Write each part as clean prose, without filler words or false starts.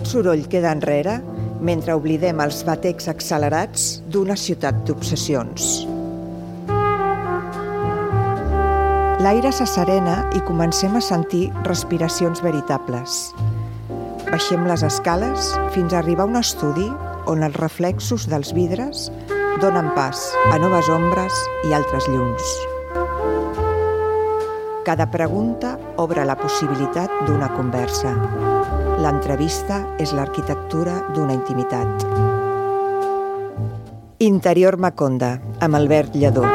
Tot soroll queda enrere mentre oblidem els batecs accelerats d'una ciutat d'obsessions. L'aire s'asserena i comencem a sentir respiracions veritables. Baixem les escales fins a arribar a un estudi on els reflexos dels vidres donen pas a noves ombres i altres llums. Cada pregunta obre la possibilitat d'una conversa. L'entrevista és l'arquitectura d'una intimitat. Interior Maconda, amb Albert Lledó.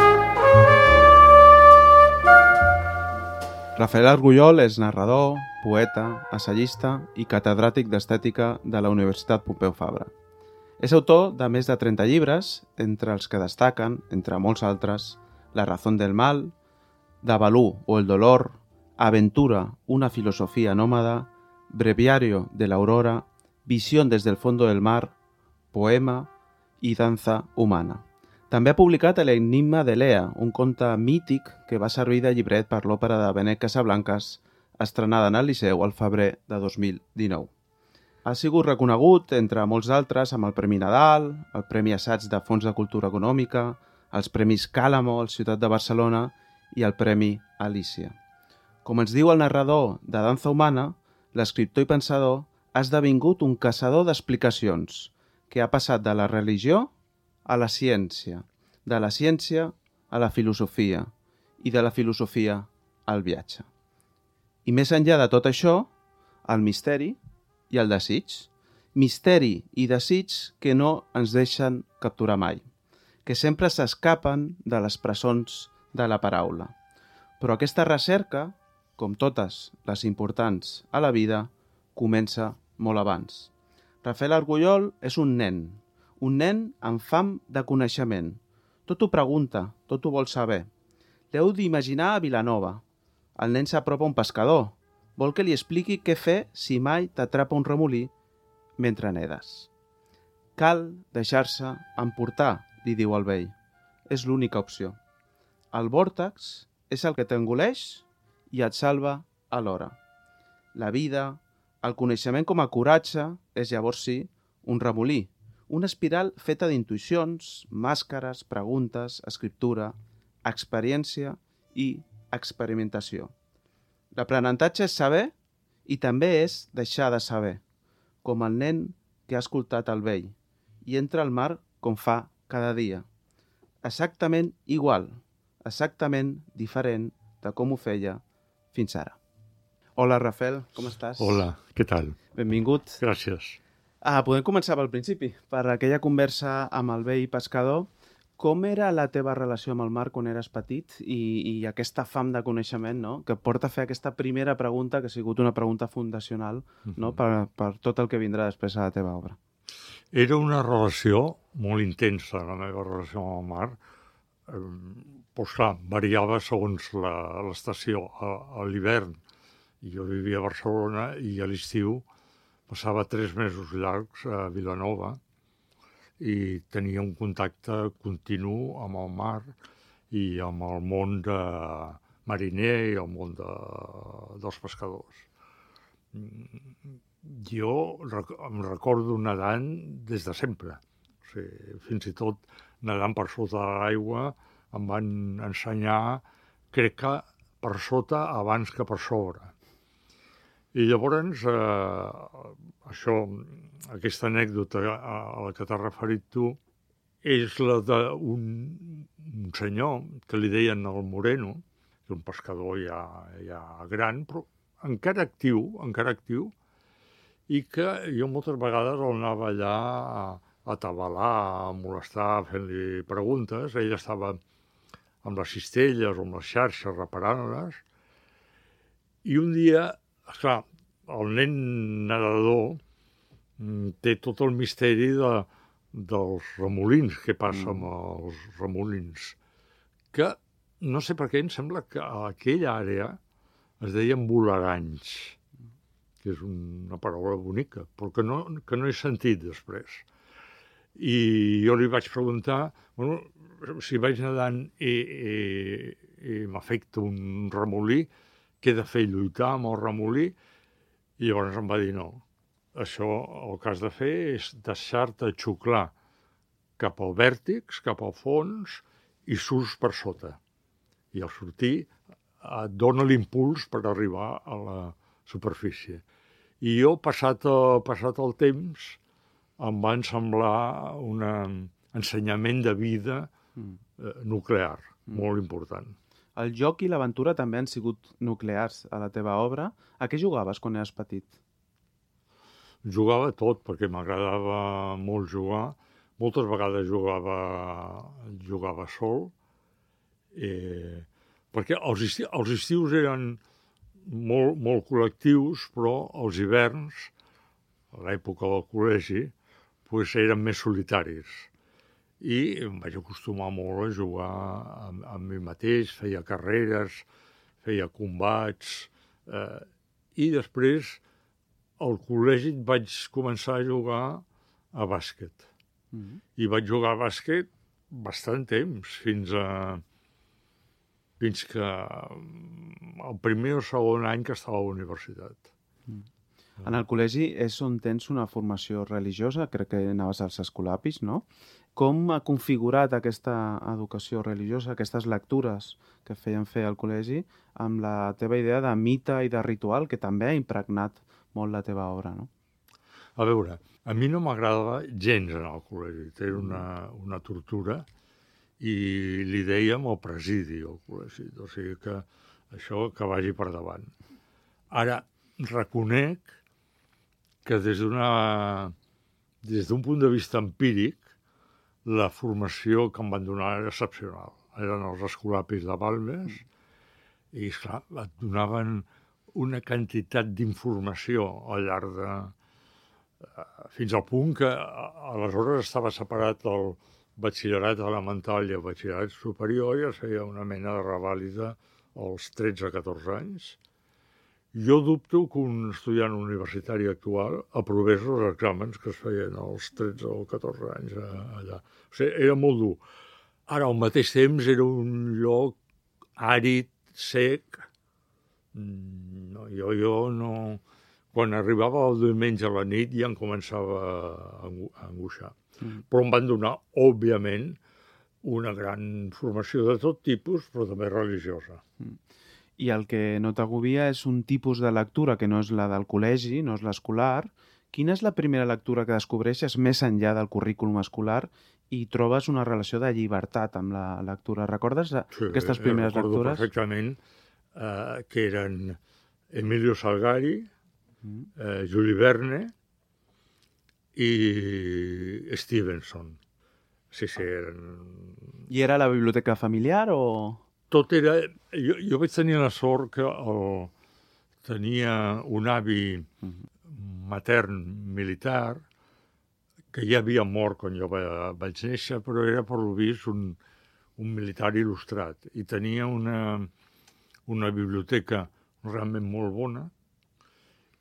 Rafael Argullol és narrador, poeta, assagista i catedràtic d'estètica de la Universitat Pompeu Fabra. És autor de més de 30 llibres, entre els que destaquen, entre molts altres, La razón del mal, Davalú o el dolor, Aventura, una filosofía nómada, Breviario de la aurora, Visión desde el fondo del mar, Poema i Danza humana. També ha publicat l'Enigma de Lea, un conte mític que va servir de llibret per l'òpera de Benet Casablancas, estrenada en el Liceu al febrer de 2019. Ha sigut reconegut, entre molts altres, amb el Premi Nadal, el Premi Assaig de Fons de Cultura Econòmica, els Premis Càlamo al Ciutat de Barcelona i el Premi Alícia. Com ens diu el narrador de Danza humana, l'escriptor i pensador ha esdevingut un caçador d'explicacions que ha passat de la religió a la ciència, de la ciència a la filosofia i de la filosofia al viatge. I més enllà de tot això, el misteri i el desig. Misteri i desig que no ens deixen capturar mai, que sempre s'escapen de les presons de la paraula. Però aquesta recerca, com totes les importants a la vida, comença molt abans. Rafael Argullol és un nen amb fam de coneixement. Tot ho pregunta, tot ho vol saber. L'heu d'imaginar a Vilanova. El nen s'apropa a un pescador. Vol que li expliqui què fer si mai t'atrapa un remolí mentre nedes. Cal deixar-se emportar, li diu el vell. És l'única opció. El vòrtex és el que t'engoleix i et salva alhora. La vida, el coneixement com a coratge, és llavors sí un remolí, una espiral feta d'intuïcions, màscares, preguntes, escriptura, experiència i experimentació. L'aprenentatge és saber i també és deixar de saber, com el nen que ha escoltat el vell i entra al mar com fa cada dia. Exactament igual, exactament diferent de com ho feia fins ara. Hola, Rafael, com estàs? Hola, què tal? Benvingut. Gràcies. Podem començar pel principi. Per aquella conversa amb el vell pescador, com era la teva relació amb el mar quan eres petit i aquesta fam de coneixement, no?, que et porta a fer aquesta primera pregunta, que ha sigut una pregunta fundacional, no?, per tot el que vindrà després a la teva obra? Era una relació molt intensa, la meva relació amb el mar. Doncs clar, variava segons l'estació. A l'hivern jo vivia a Barcelona i a l'estiu passava 3 mesos llargs a Vilanova i tenia un contacte continu amb el mar i amb el món mariner i el món dels pescadors. Jo em recordo nedant des de sempre. O sigui, fins i tot nedant per sota de l'aigua em van ensenyar, crec que per sota abans que per sobre. I llavors, aquesta anècdota a la que t'has referit tu és la d'un senyor que li deien el Moreno, que és un pescador ja gran, però encara actiu, i que jo moltes vegades el anava allà a atabalar, a molestar, fent-li preguntes. Ell estava amb les cistelles o amb les xarxes reparant-les. I un dia, esclar, el nen nedador té tot el misteri dels remolins, què passa amb els remolins, que no sé per què em sembla que a aquella àrea es deien voleranys, que és una paraula bonica, però que no he sentit després. I jo li vaig preguntar, bueno, si vaig nedant i m'afecta un remolí, què he de fer, lluitar amb el remolí? I llavors em va dir no, això el que has de fer és deixar-te xuclar cap al vèrtex, cap al fons, i surts per sota. I al sortir et dona l'impuls per arribar a la superfície. I jo, passat el temps, em va semblar un ensenyament de vida nuclear, molt important. El joc i l'aventura també han sigut nuclears a la teva obra. A què jugaves quan eres petit? Jugava tot, perquè m'agradava molt jugar. Moltes vegades jugava sol, perquè els estius eren molt col·lectius, però els hiverns, a l'època del col·legi, eren més solitaris. I em vaig acostumar molt a jugar amb mi mateix, feia carreres, feia combats, i després al col·legi vaig començar a jugar a bàsquet. I vaig jugar a bàsquet bastant temps, fins que el primer o segon any que estava a la universitat. En el col·legi és on tens una formació religiosa, crec que anaves als escolapis, no? Com ha configurat aquesta educació religiosa, aquestes lectures que feien fer al col·legi, amb la teva idea de mite i de ritual, que també ha impregnat molt la teva obra, no? A veure, a mi no m'agradava gens anar al col·legi, era una tortura, i li dèiem el presidi al col·legi, o sigui que això que vagi per davant. Ara, reconec que des d'un punt de vista empíric, la formació que em van donar era excepcional. Eren els escolapis de Balmes i, esclar, et donaven una quantitat d'informació al llarg de... fins al punt que aleshores estava separat el batxillerat elemental i el batxillerat superior i es feia una mena de revàlida als 13-14 anys. Jo dubto que un estudiant universitari actual aprovés els exàmens que es feien als 13 o 14 anys allà. O sigui, era molt dur. Ara, al mateix temps, era un lloc àrid, sec. Jo no... Quan arribava el diumenge a la nit ja em començava a angoixar. Però em van donar, òbviament, una gran formació de tot tipus, però també religiosa. I el que no t'agobia és un tipus de lectura que no és la del col·legi, no és l'escolar. Quina és la primera lectura que descobreixes més enllà del currículum escolar i trobes una relació de llibertat amb la lectura? Recordes aquestes primeres lectures? Sí, recordo perfectament que eren Emilio Salgari, Jules Verne i Stevenson. Sí, eren... I era la biblioteca familiar o...? Tot era... Jo vaig tenir la sort que tenia un avi matern militar que ja havia mort quan jo vaig néixer, però era, per lo vist, un militar il·lustrat. I tenia una biblioteca realment molt bona.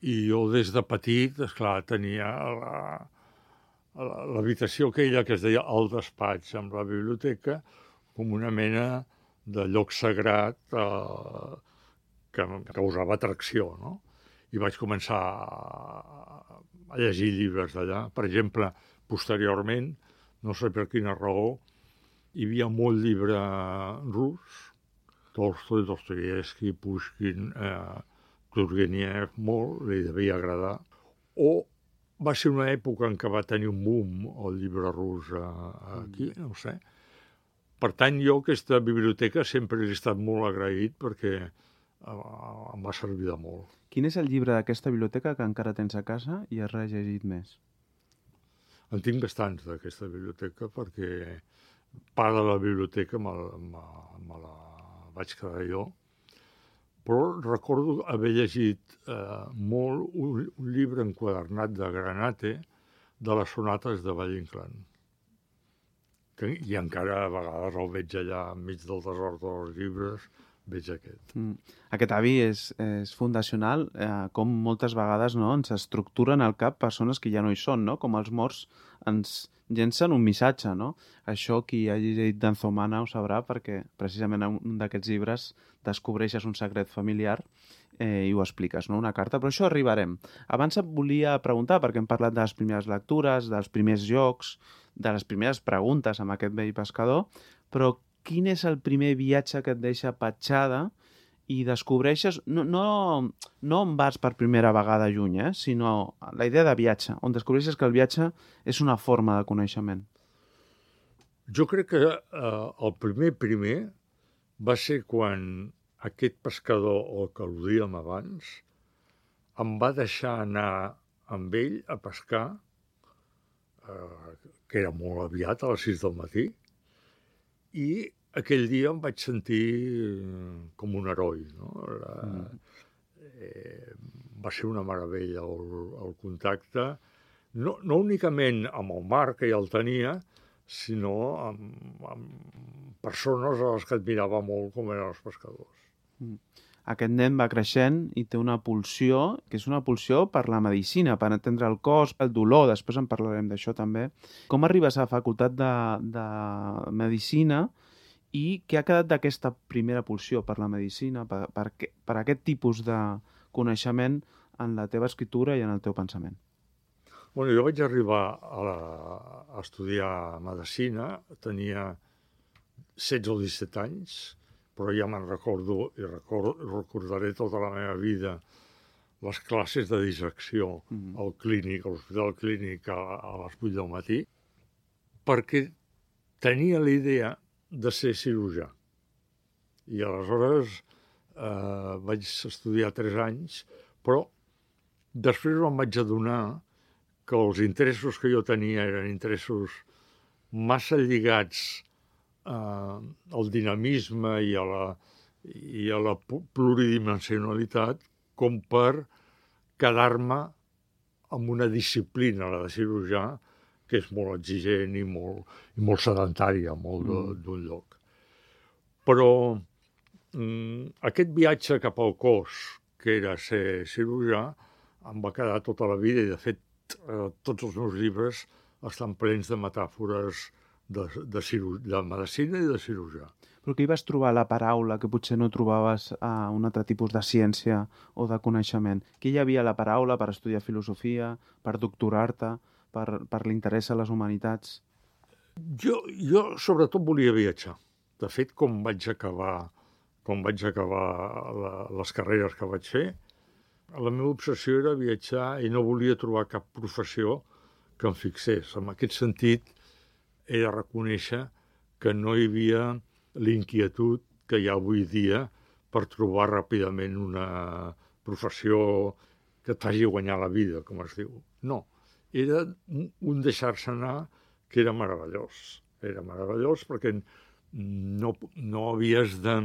I jo, des de petit, esclar, tenia l'habitació aquella que es deia el despatx amb la biblioteca com una mena de lloc sagrat que em causava atracció, no? I vaig començar a llegir llibres d'allà. Per exemple, posteriorment, no sé per quina raó, hi havia molt llibre rus, Tolstoi, Dostoievski, Pushkin, Turgenev, molt, li devia agradar. O va ser una època en què va tenir un boom el llibre rus aquí, no ho sé. Per tant, jo aquesta biblioteca sempre he estat molt agraït perquè em va servir de molt. Quin és el llibre d'aquesta biblioteca que encara tens a casa i has rellegit més? En tinc bastants d'aquesta biblioteca perquè part de la biblioteca me la vaig quedar jo. Però recordo haver llegit molt un llibre enquadernat de Granate de les sonates de Valle-Inclán. I encara a vegades el veig allà enmig del desord dels llibres, veig aquest. Aquest avi és fundacional, com moltes vegades no, ens estructuren al cap persones que ja no hi són, no? Com els morts ens llencen un missatge, no? Això qui hagi llegit d'Anzomana ho sabrà, perquè precisament en un d'aquests llibres descobreixes un secret familiar i ho expliques, no? Una carta, però això arribarem. Abans et volia preguntar, perquè hem parlat de les primeres lectures, dels primers jocs, de les primeres preguntes amb aquest vell pescador, però quin és el primer viatge que et deixa petjada i descobreixes, no on vas per primera vegada lluny, sinó la idea de viatge, on descobreixes que el viatge és una forma de coneixement? Jo crec que el primer va ser quan aquest pescador, el que al·ludíem abans, em va deixar anar amb ell a pescar, que era molt aviat, a les 6 del matí, i aquell dia em vaig sentir com un heroi. No? Va ser una meravella el contacte, no únicament amb el mar, que ja el tenia, sinó amb persones a les que admirava molt, com eren els pescadors. Aquest nen va creixent i té una pulsió, que és una pulsió per la medicina, per entendre el cos, el dolor, després en parlarem d'això també. Com arribes a la facultat de medicina i què ha quedat d'aquesta primera pulsió per la medicina, per aquest tipus de coneixement en la teva escriptura i en el teu pensament? Bueno, jo vaig arribar a estudiar medicina, tenia 16 o 17 anys, però ja me'n recordo i recordaré tota la meva vida les classes de dissecció al clínic, a l'hospital clínic a les 8 del matí, perquè tenia la idea de ser cirurgià. I aleshores vaig estudiar 3 anys, però després em vaig adonar que els interessos que jo tenia eren interessos massa lligats al dinamisme i a la pluridimensionalitat com per quedar-me amb una disciplina, la de cirurgià, que és molt exigent i molt sedentària, molt d'un lloc. Però aquest viatge cap al cos, que era ser cirurgià, em va quedar tota la vida i, de fet, tots els meus llibres estan plens de metàfores de medicina i de cirurgià. Però que hi vas trobar la paraula que potser no trobaves a un altre tipus de ciència o de coneixement? Que hi havia la paraula per estudiar filosofia, per doctorar-te, per l'interès a les humanitats? Jo sobretot volia viatjar. De fet, com vaig acabar les carreres que vaig fer, la meva obsessió era viatjar i no volia trobar cap professió que em fixés. En aquest sentit, he de reconèixer que no hi havia l'inquietud que hi ha avui dia per trobar ràpidament una professió que et faci guanyar la vida, com es diu. No, era un deixar-se anar que era meravellós. Era meravellós perquè no havies de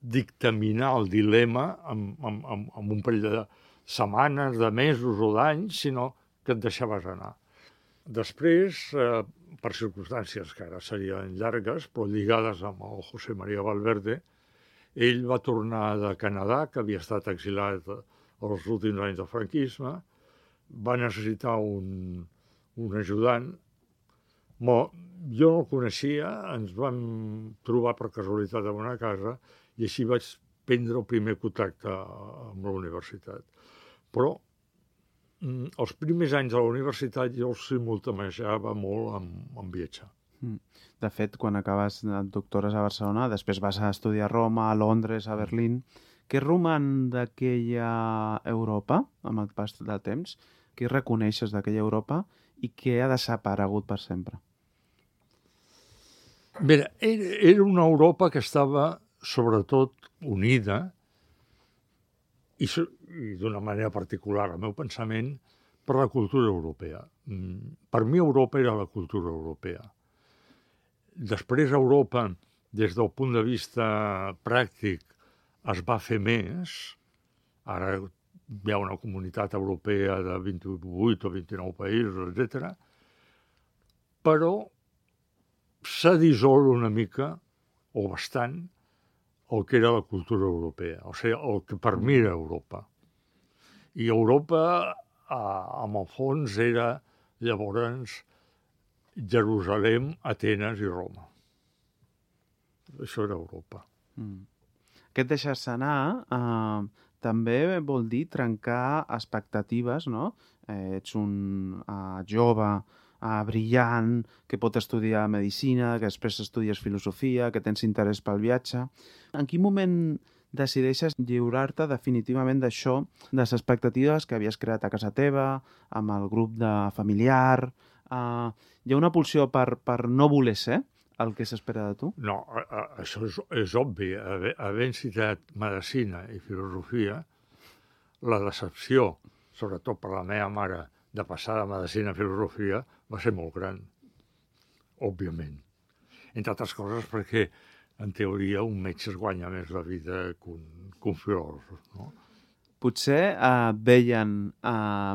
dictaminar el dilema amb un parell de setmanes, de mesos o d'anys, sinó que et deixaves anar. Després, per circumstàncies que ara serien llargues, però lligades amb el José María Valverde, ell va tornar de Canadà, que havia estat exilat els últims anys del franquisme, va necessitar un ajudant. Jo no el coneixia, ens vam trobar per casualitat en una casa i així vaig prendre el primer contacte amb la universitat. Però els primers anys de la universitat jo els simultanejava molt amb viatjar. De fet, quan acabes et doctores a Barcelona, després vas a estudiar a Roma, a Londres, a Berlín. Què roman d'aquella Europa, amb el pas del temps? Què reconeixes d'aquella Europa i què ha desaparegut per sempre? Bé, era una Europa que estava sobretot unida i d'una manera particular, al meu pensament, per la cultura europea. Per mi Europa era la cultura europea. Després Europa, des del punt de vista pràctic, es va fer més. Ara hi ha una comunitat europea de 28 o 29 països, etc. Però s'ha dissolt una mica, o bastant, el que era la cultura europea, o sigui, el que per mi era Europa. I Europa amb el fons era llavors Jerusalem, Atenes i Roma. Això era Europa. Aquest deixar-se anar també vol dir trencar expectatives, no? Ets un jove brillant, que pot estudiar medicina, que després estudies filosofia, que tens interès pel viatge. En quin moment decideixes lliurar-te definitivament d'això, de les expectatives que havies creat a casa teva, amb el grup de familiar? Hi ha una pulsió per no voler ser el que s'espera de tu? No, això és obvi. Havent citat medicina i filosofia, la decepció, sobretot per la meva mare, de passar de medicina a filosofia, va ser molt gran, òbviament. Entre altres coses perquè, en teoria, un metge es guanya més la vida que un filòsof, no? Potser veien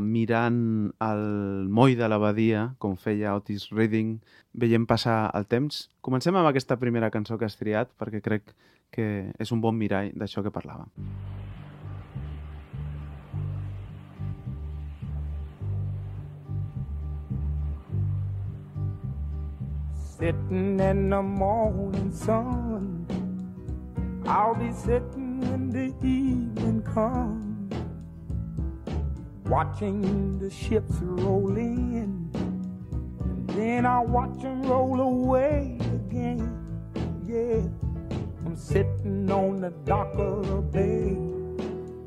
mirant el moll de l'abadia, com feia Otis Redding, veient passar el temps. Comencem amb aquesta primera cançó que has triat, perquè crec que és un bon mirall d'això que parlàvem. Sitting in the morning sun, I'll be sitting when the evening comes, watching the ships roll in, and then I'll watch them roll away again. Yeah, I'm sitting on the dock of the bay,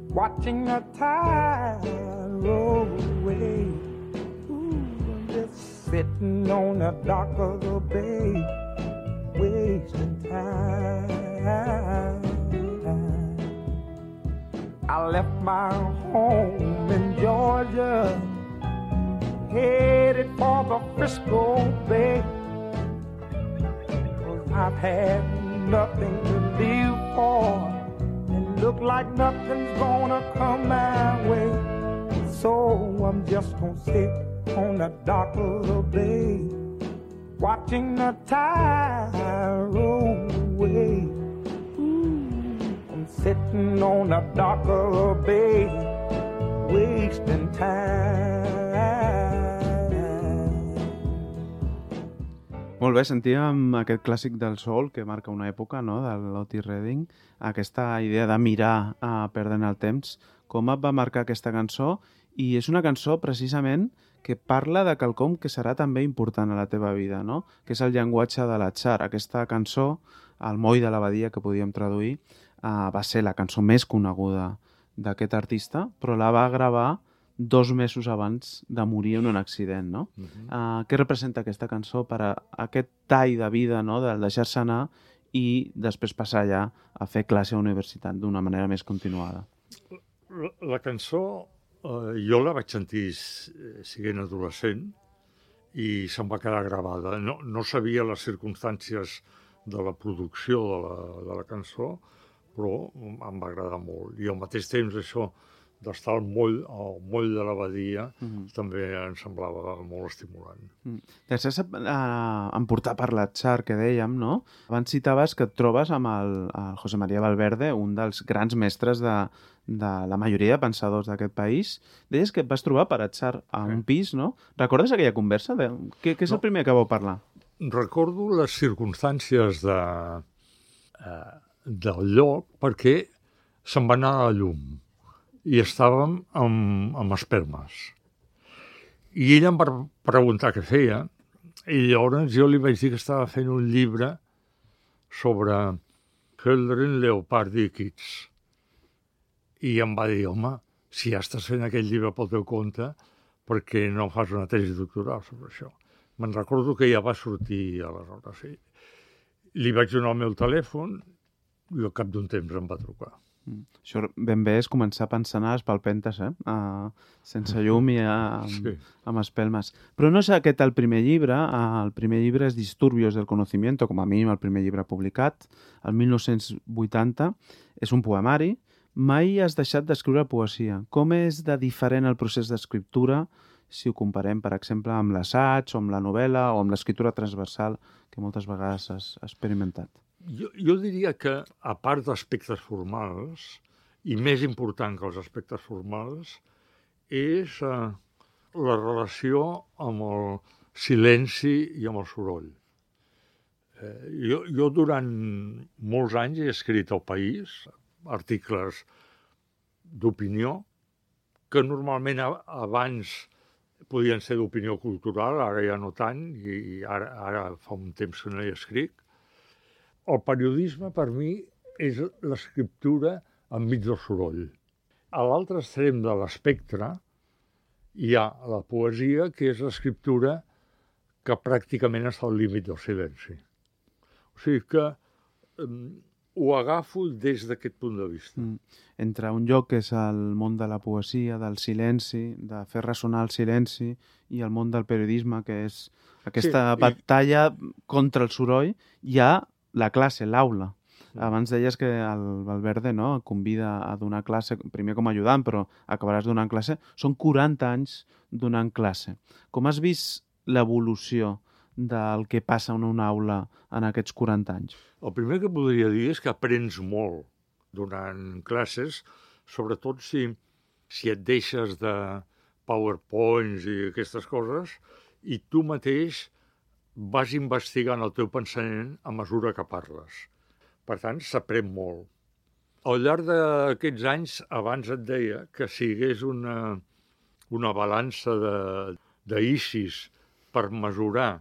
watching the tide roll away. Ooh, I'm just sitting on the dock of the bay, wasting time. I left my home in Georgia, headed for the Frisco Bay, 'cause I've had nothing to live for, and look like nothing's gonna come my way. So I'm just gonna sit on the dock of the bay, watching the tide roll away. I'm sitting on the dock of the bay, wasting time. Molt bé, sentíem aquest clàssic del soul que marca una època, no?, de l'Otis Redding, aquesta idea de mirar perdent el temps. Com et va marcar aquesta cançó? I és una cançó, precisament, que parla de quelcom que serà també important a la teva vida, no?, que és el llenguatge de l'atzar. Aquesta cançó, El moll de l'abadia, que podíem traduir, va ser la cançó més coneguda d'aquest artista, però la va gravar 2 mesos abans de morir en un accident, no? Què representa aquesta cançó per a aquest tall de vida, no?, del deixar-se anar i després passar ja a fer classe a universitat d'una manera més continuada? La cançó jo la vaig sentir sent adolescent i se'm va quedar gravada. No sabia les circumstàncies de la producció de la cançó, però em va agradar molt. I al mateix temps això d'estar al moll de l'abadia també em semblava molt estimulant. Deixar-se emportar per l'atzar, que dèiem, no? Abans citaves que et trobes amb el José María Valverde, un dels grans mestres de la majoria de pensadors d'aquest país. Deies que et vas trobar per atzar a un pis, no? Recordes aquella conversa? Què és el primer que vau parlar? Recordo les circumstàncies del lloc perquè se'n va anar a la llum i estàvem amb espelmes. I ell em va preguntar què feia i llavors jo li vaig dir que estava fent un llibre sobre Hölderlin, Leopardi i Keats. I em va dir, home, si ja estàs fent aquest llibre pel teu compte, per què no fas una tesi doctoral sobre això? Me'n recordo que ja va sortir aleshores. Li vaig donar el meu telèfon i al cap d'un temps em va trucar. Això ben bé és començar a pensar a les palpentes, sense llum i amb espelmes. Però no és aquest el primer llibre. El primer llibre és Disturbios del Conocimiento, com a mínim el primer llibre publicat, el 1980. És un poemari. Mai has deixat d'escriure poesia. Com és de diferent el procés d'escriptura si ho comparem, per exemple, amb l'assaig o amb la novel·la o amb l'escriptura transversal que moltes vegades has experimentat? Jo diria que, a part d'aspectes formals, i més important que els aspectes formals, és la relació amb el silenci i amb el soroll. Jo durant molts anys he escrit al País articles d'opinió que normalment abans podien ser d'opinió cultural, ara ja no tant, i ara fa un temps que no hi escric. El periodisme, per mi, és l'escriptura enmig del soroll. A l'altre extrem de l'espectre hi ha la poesia, que és l'escriptura que pràcticament està al límit del silenci. O sigui que ho agafo des d'aquest punt de vista. Entre un lloc que és el món de la poesia, del silenci, de fer ressonar el silenci, i el món del periodisme, que és aquesta batalla contra el soroll, hi ha la classe, l'aula. Abans deies que el Valverde et convida a donar classe, primer com a ajudant, però acabaràs donant classe. Són 40 anys donant classe. Com has vist l'evolució del que passa en una aula en aquests 40 anys? El primer que podria dir és que aprens molt donant classes, sobretot si et deixes de PowerPoints i aquestes coses, i tu mateix vas investigant el teu pensament a mesura que parles. Per tant, s'aprèn molt. Al llarg d'aquests anys, abans et deia que si hi hagués una balança d'ISIS per mesurar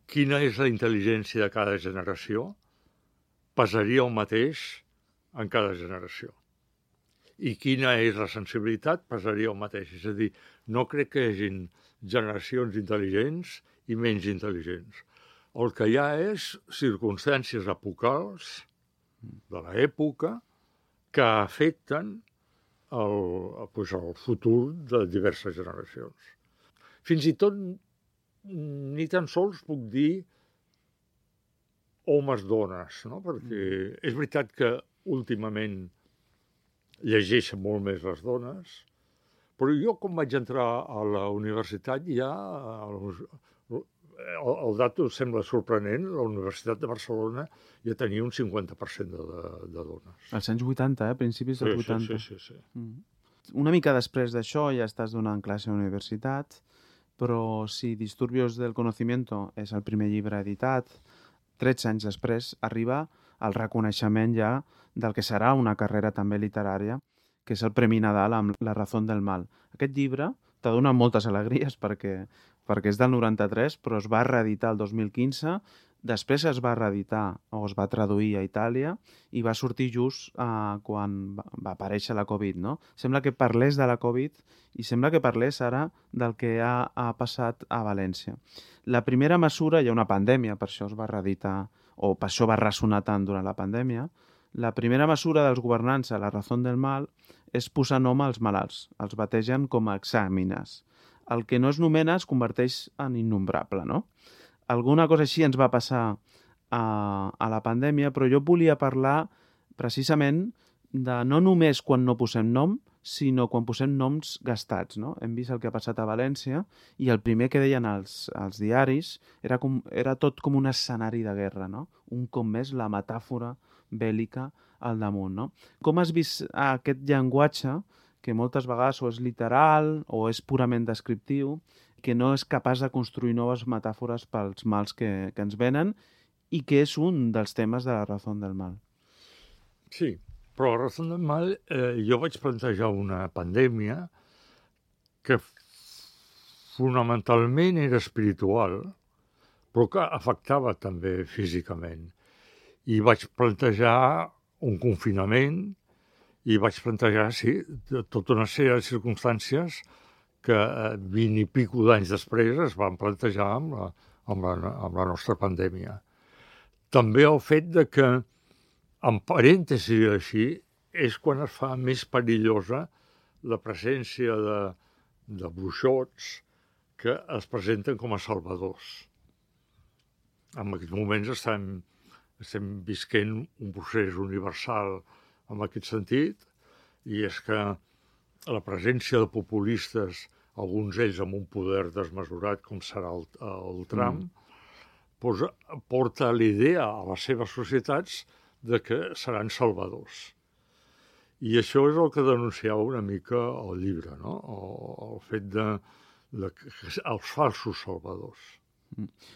quina és la intel·ligència de cada generació, pesaria el mateix en cada generació. I quina és la sensibilitat, pesaria el mateix. És a dir, no crec que hi hagin generacions intel·ligents i menys intel·ligents. El que hi ha és circumstàncies epocals de l'època que afecten el futur de diverses generacions. Fins i tot ni tan sols puc dir homes-dones, no? Perquè és veritat que últimament llegeixen molt més les dones, però jo quan vaig entrar a la universitat ja, el dato sembla sorprenent, la Universitat de Barcelona ja tenia un 50% de dones. Als anys 80, principis dels 80. Sí. Una mica després d'això ja estàs donant classe a la universitat, però si Disturbios del Conocimiento és el primer llibre editat, 13 anys després arriba el reconeixement ja del que serà una carrera també literària, que és el Premi Nadal amb La razón del mal. Aquest llibre t'ha donat moltes alegries perquè és del 93, però es va reeditar el 2015, després es va reeditar o es va traduir a Itàlia i va sortir just quan va aparèixer la Covid, no? Sembla que parlés de la Covid i sembla que parlés ara del que ha passat a València. La primera mesura, hi ha una pandèmia, per això es va reeditar, o per això va ressonar tant durant la pandèmia. La primera mesura dels governants a La razón del mal és posar nom als malalts. Els bategen com a exàmines. El que no es nomena es converteix en innombrable, no? Alguna cosa així ens va passar a la pandèmia, però jo volia parlar precisament de no només quan no posem nom, sinó quan posem noms gastats, no? Hem vist el que ha passat a València i el primer que deien els diaris era tot com un escenari de guerra, no? Un cop més la metàfora bèl·lica al damunt, no? Com has vist aquest llenguatge que moltes vegades o és literal o és purament descriptiu, que no és capaç de construir noves metàfores pels mals que ens venen i que és un dels temes de La razón del mal. Sí, però La razón del mal jo vaig plantejar una pandèmia que fonamentalment era espiritual, però que afectava també físicament. I vaig plantejar un confinament i vaig plantejar, sí, tota una sèrie de circumstàncies que 20 i pico d'anys després es van plantejar amb la nostra pandèmia. També el fet de que, en parèntesi així, és quan es fa més perillosa la presència de bruixots que es presenten com a salvadors. En aquests moments estem visquent un procés universal en aquest sentit, i és que la presència de populistes, alguns d'ells amb un poder desmesurat com serà el Trump, porta l'idea a les seves societats de que seran salvadors. I això és el que denunciava una mica el llibre, no? El fet els falsos salvadors.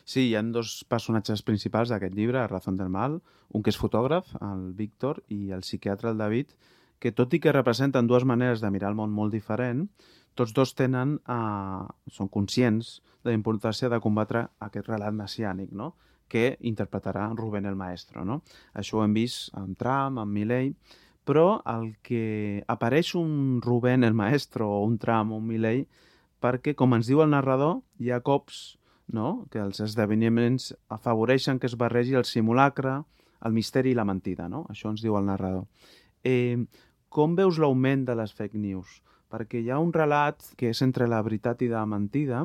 Sí, hi ha dos personatges principals d'aquest llibre, a Razón del Mal, un que és fotògraf, el Víctor, i el psiquiatre, el David, que tot i que representen dues maneres de mirar el món molt diferent, tots dos són conscients de la importància de combatre aquest relat messiànic, no? Que interpretarà Rubén el Maestro, no? Això ho hem vist amb Trump, amb Milei, però el que apareix un Rubén el Maestro o un Trump o un Milei perquè, com ens diu el narrador, hi ha cops, no?, que els esdeveniments afavoreixen que es barregi el simulacre, el misteri i la mentida, no? Això ens diu el narrador. Com veus l'augment de les fake news? Perquè hi ha un relat que és entre la veritat i la mentida,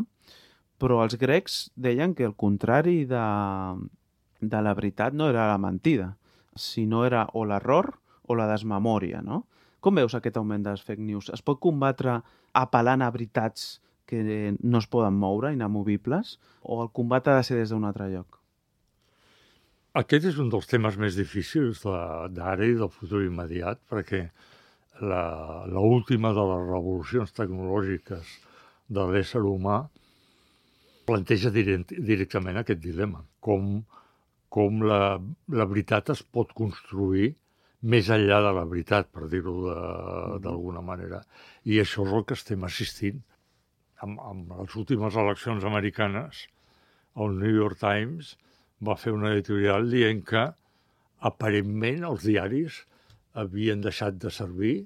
però els grecs deien que el contrari de la veritat no era la mentida, sinó era o l'error o la desmemòria, no? Com veus aquest augment de les fake news? Es pot combatre apel·lant a veritats que no es poden moure, inamovibles, o el combat ha de ser des d'un altre lloc? Aquest és un dels temes més difícils d'ara i del futur immediat, perquè l'última de les revolucions tecnològiques de l'ésser humà planteja directament aquest dilema. Com la veritat es pot construir més enllà de la veritat, per dir-ho d'alguna manera. I això és el que estem assistint. Amb les últimes eleccions americanes, el New York Times va fer una editorial dient que aparentment els diaris havien deixat de servir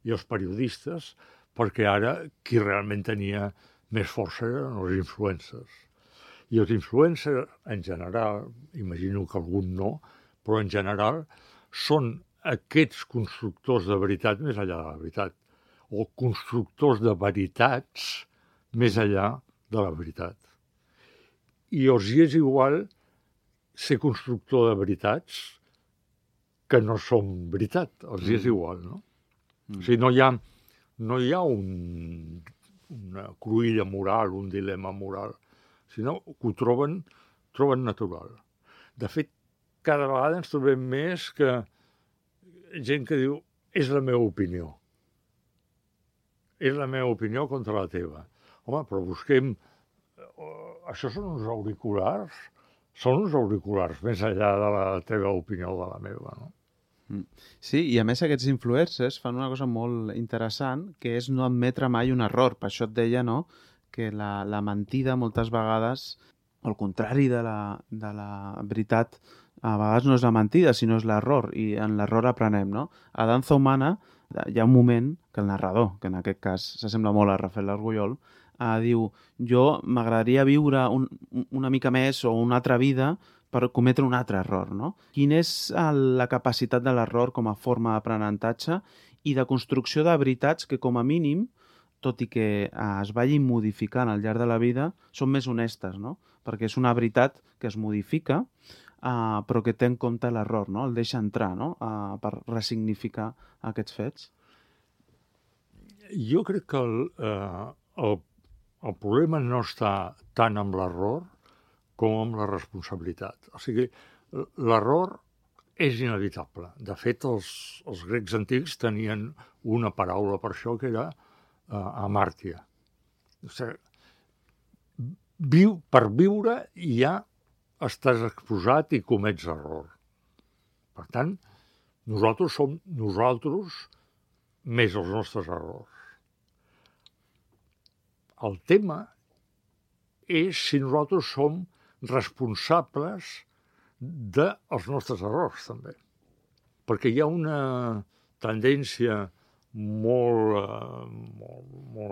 i els periodistes, perquè ara qui realment tenia més força eren els influencers. I els influencers, en general, imagino que algun no, però en general són aquests constructors de veritat més enllà de la veritat, o constructors de veritats més enllà de la veritat. I els hi és igual ser constructor de veritats que no són veritat. Els hi és igual, no? O sigui, no hi ha una cruïlla moral, un dilema moral, sinó que ho troben natural. De fet, cada vegada ens trobem més que gent que diu és la meva opinió. És la meva opinió contra la teva. Home, però busquem... Això són uns auriculars? Són uns auriculars més enllà de la teva opinió o de la meva, no? Sí, i a més aquests influencers fan una cosa molt interessant, que és no admetre mai un error. Per això et deia, no?, que la mentida moltes vegades, al contrari de la veritat, a vegades no és la mentida, sinó és l'error, i en l'error aprenem, no? A Danza Humana hi ha un moment que el narrador, que en aquest cas s'assembla molt a Rafael Argullol, diu, jo m'agradaria viure una mica més o una altra vida per cometre un altre error, no? Quina és la capacitat de l'error com a forma d'aprenentatge i de construcció de veritats que, com a mínim, tot i que es vagin modificant al llarg de la vida, són més honestes, no? Perquè és una veritat que es modifica, però que té en compte l'error, no? El deixa entrar, no?, per ressignificar aquests fets. Jo crec que el problema no està tant amb l'error com amb la responsabilitat. O sigui, l'error és inevitable. De fet, els grecs antics tenien una paraula per això que era amàrtia. O sigui, per viure ja estàs exposat i comets error. Per tant, nosaltres som nosaltres més els nostres errors. El tema és si nosaltres som responsables dels nostres errors, també. Perquè hi ha una tendència molt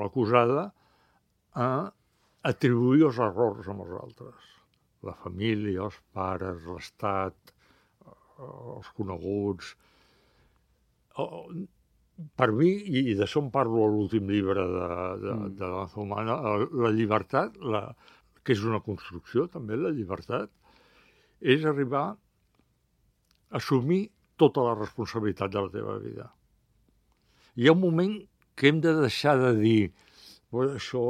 acusada a atribuir els errors als altres. La família, els pares, l'Estat, els coneguts. Per mi, i d'això en parlo a l'últim llibre de Danza Humana, la llibertat, que és una construcció també, la llibertat, és arribar a assumir tota la responsabilitat de la teva vida. Hi ha un moment que hem de deixar de dir això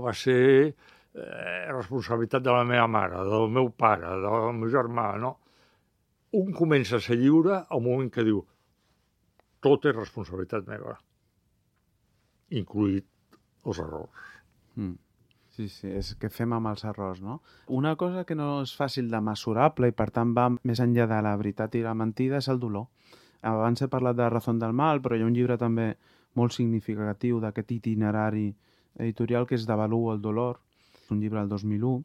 va ser responsabilitat de la meva mare, del meu pare, del meu germà, no? Un comença a ser lliure al moment que diu tot és responsabilitat meva, incluït els errors. Sí, és que fem amb els errors, no? Una cosa que no és fàcil de mesurable i per tant va més enllà de la veritat i la mentida és el dolor. Abans he parlat de Razón del Mal, però hi ha un llibre també molt significatiu d'aquest itinerari editorial que és Devaluo el dolor, un llibre del 2001.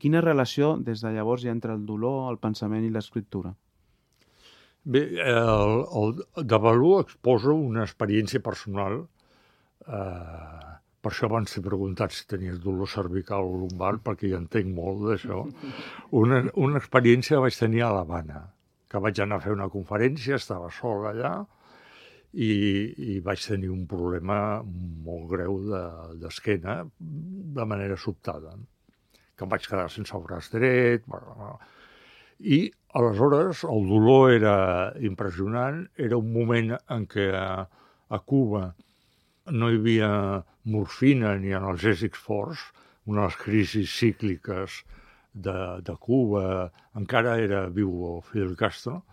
Quina relació des de llavors hi ha entre el dolor, el pensament i l'escriptura? Bé, el Devaluo exposa una experiència personal. Per això abans t'he preguntat si tenies dolor cervical o lumbar, perquè hi entenc molt d'això. Una experiència que vaig tenir a l'Havana, que vaig anar a fer una conferència, estava sol allà, i vaig tenir un problema molt greu d'esquena de manera sobtada, que em vaig quedar sense el braç dret. I aleshores el dolor era impressionant, era un moment en què a Cuba no hi havia morfina ni analgèsics forts, una de les crisis cícliques de Cuba, encara era viu Fidel Castro,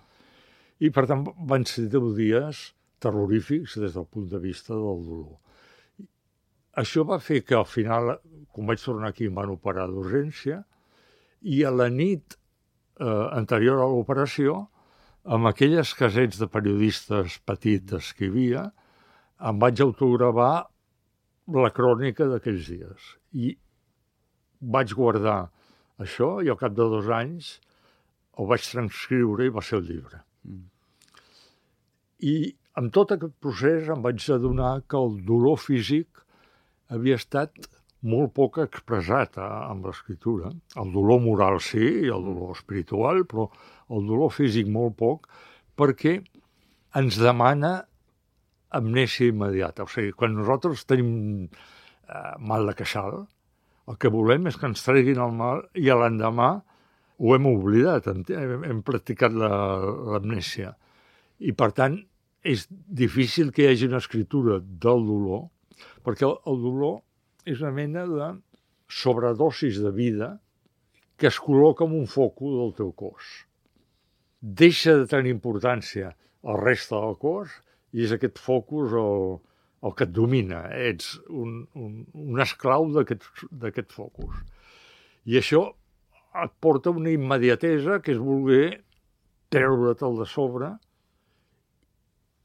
i per tant van ser 10 dies terrorífics des del punt de vista del dolor. Això va fer que al final, quan vaig tornar aquí, em van operar d'urgència, i a la nit anterior a l'operació, amb aquelles casets de periodistes petites que hi havia, em vaig autogravar la crònica d'aquells dies. I vaig guardar això i al cap de 2 anys ho vaig transcriure i va ser el llibre. I amb tot aquest procés em vaig adonar que el dolor físic havia estat molt poc expressat amb l'escriptura. El dolor moral sí, i el dolor espiritual, però el dolor físic molt poc, perquè ens demana amnèsia immediata. O sigui, quan nosaltres tenim mal de queixal, el que volem és que ens treguin el mal i a l'endemà ho hem oblidat, hem practicat l'amnèsia. I per tant, és difícil que hi hagi una escriptura del dolor, perquè el dolor és una mena de sobredosis de vida que es col·loca en un focus del teu cos. Deixa de tenir importància el reste del cos i és aquest focus el que et domina. Ets un esclau d'aquest focus. I això et porta una immediatesa que és voler treure-te'l de sobre,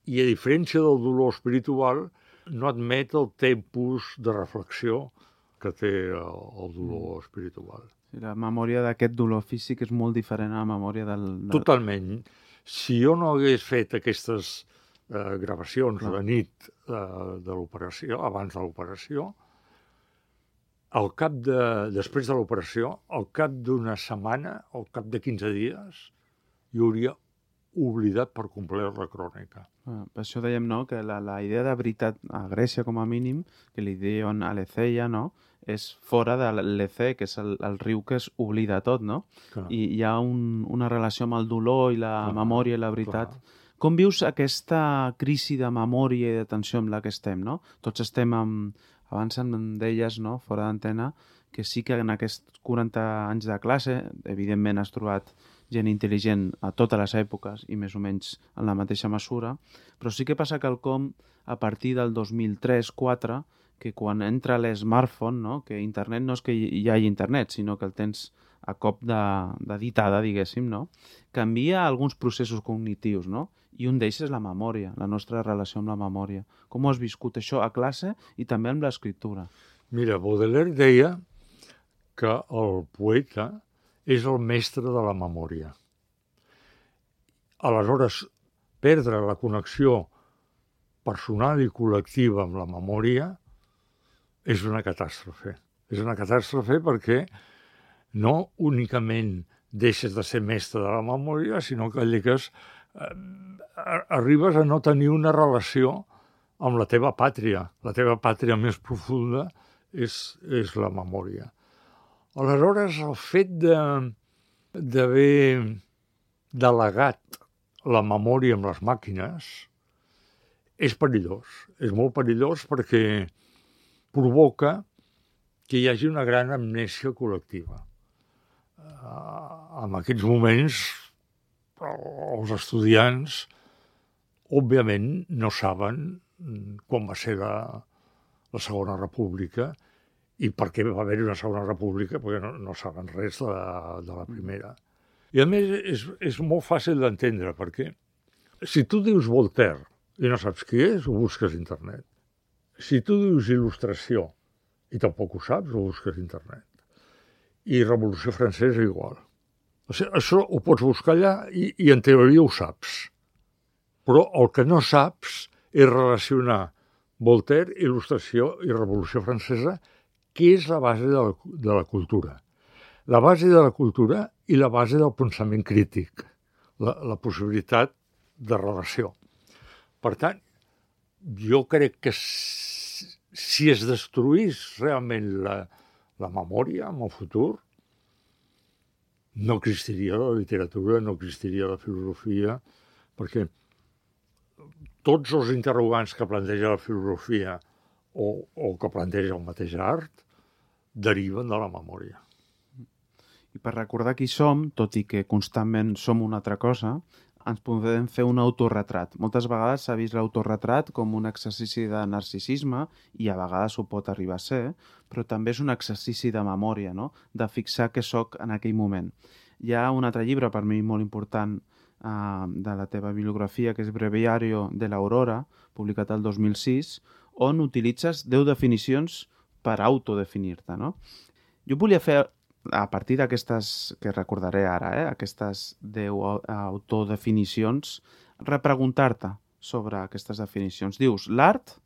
i a diferència del dolor espiritual no admet el tempus de reflexió que té el dolor espiritual. La memòria d'aquest dolor físic és molt diferent a la memòria del... Totalment. Si jo no hagués fet aquestes gravacions de nit de l'operació, abans de l'operació, després de l'operació, al cap d'una setmana, al cap de 15 dies, jo hauria oblidat per complet la crònica. Per això dèiem, no?, que la idea de veritat a Grècia, com a mínim, que li diuen aletheia, no?, és fora de l'Lecè, que és el riu que es oblida tot, no? Clar. I hi ha una relació amb el dolor i la memòria i la veritat. Clar. Com vius aquesta crisi de memòria i d'atenció amb la que estem, no? Tots estem abans em deies, no?, fora d'antena, que sí que en aquests 40 anys de classe, evidentment has trobat gent intel·ligent a totes les èpoques i més o menys en la mateixa mesura, però sí que passa quelcom a partir del 2003-2004, que quan entra l'smartphone, no? Que internet no és que hi hagi internet, sinó que el tens a cop de ditada, diguéssim, no? Canvia alguns processos cognitius, no? I un d'ells és la memòria, la nostra relació amb la memòria. Com ho has viscut això a classe i també amb l'escriptura? Mira, Baudelaire deia que el poeta és el mestre de la memòria. Aleshores, perdre la connexió personal i col·lectiva amb la memòria és una catàstrofe. És una catàstrofe perquè no únicament deixes de ser mestre de la memòria, sinó que arribes a no tenir una relació amb la teva pàtria. La teva pàtria més profunda és la memòria. Aleshores, el fet d'haver delegat la memòria amb les màquines és perillós. És molt perillós perquè provoca que hi hagi una gran amnèsia col·lectiva. En aquests moments, els estudiants òbviament no saben quan va ser la Segona República i per què va haver-hi una Segona República, perquè no saben res de la primera. I a més és molt fàcil d'entendre, perquè si tu dius Voltaire i no saps qui és, ho busques a internet. Si tu dius il·lustració i tampoc ho saps, ho busques a internet. I Revolució Francesa igual. O sigui, això ho pots buscar allà i en teoria ho saps. Però el que no saps és relacionar Voltaire, il·lustració i Revolució Francesa, que és la base de la cultura. La base de la cultura i la base del pensament crític, la possibilitat de relació. Per tant, jo crec que si es destruís realment la memòria en el futur, no existiria la literatura, no existiria la filosofia, perquè tots els interrogants que planteja la filosofia o que planteja el mateix art deriven de la memòria. I per recordar qui som, tot i que constantment som una altra cosa, ens podem fer un autorretrat. Moltes vegades s'ha vist l'autorretrat com un exercici de narcisisme, i a vegades ho pot arribar a ser, però també és un exercici de memòria, no? De fixar què sóc en aquell moment. Hi ha un altre llibre, per mi molt important, de la teva bibliografia, que és Breviario de l'Aurora, publicat el 2006, on utilitzes 10 definicions per autodefinir-te, no? Jo volia fer, a partir d'aquestes que recordaré ara, aquestes 10 autodefinicions, repreguntar-te sobre aquestes definicions. Dius, l'art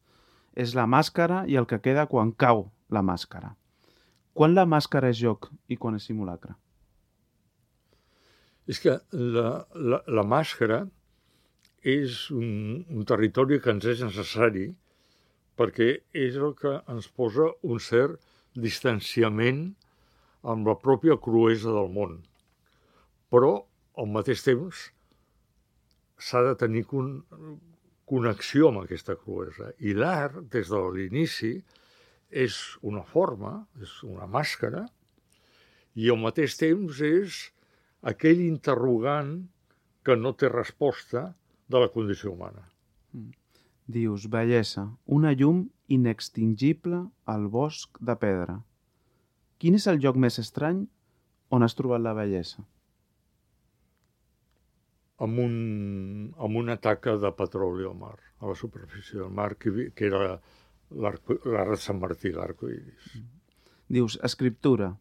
és la màscara i el que queda quan cau la màscara. Quan la màscara és joc i quan és simulacre? És que la màscara és un territori que ens és necessari perquè és el que ens posa un cert distanciament amb la pròpia cruesa del món. Però, al mateix temps, s'ha de tenir connexió amb aquesta cruesa. I l'art, des de l'inici, és una forma, és una màscara, i al mateix temps és aquell interrogant que no té resposta de la condició humana. Dius, bellesa, una llum inextingible al bosc de pedra. Quin és el lloc més estrany on has trobat la bellesa? Amb una taca de petroli al mar, a la superfície del mar, que era l'arc de Sant Martí, l'arcoiris. Dius, escriptura,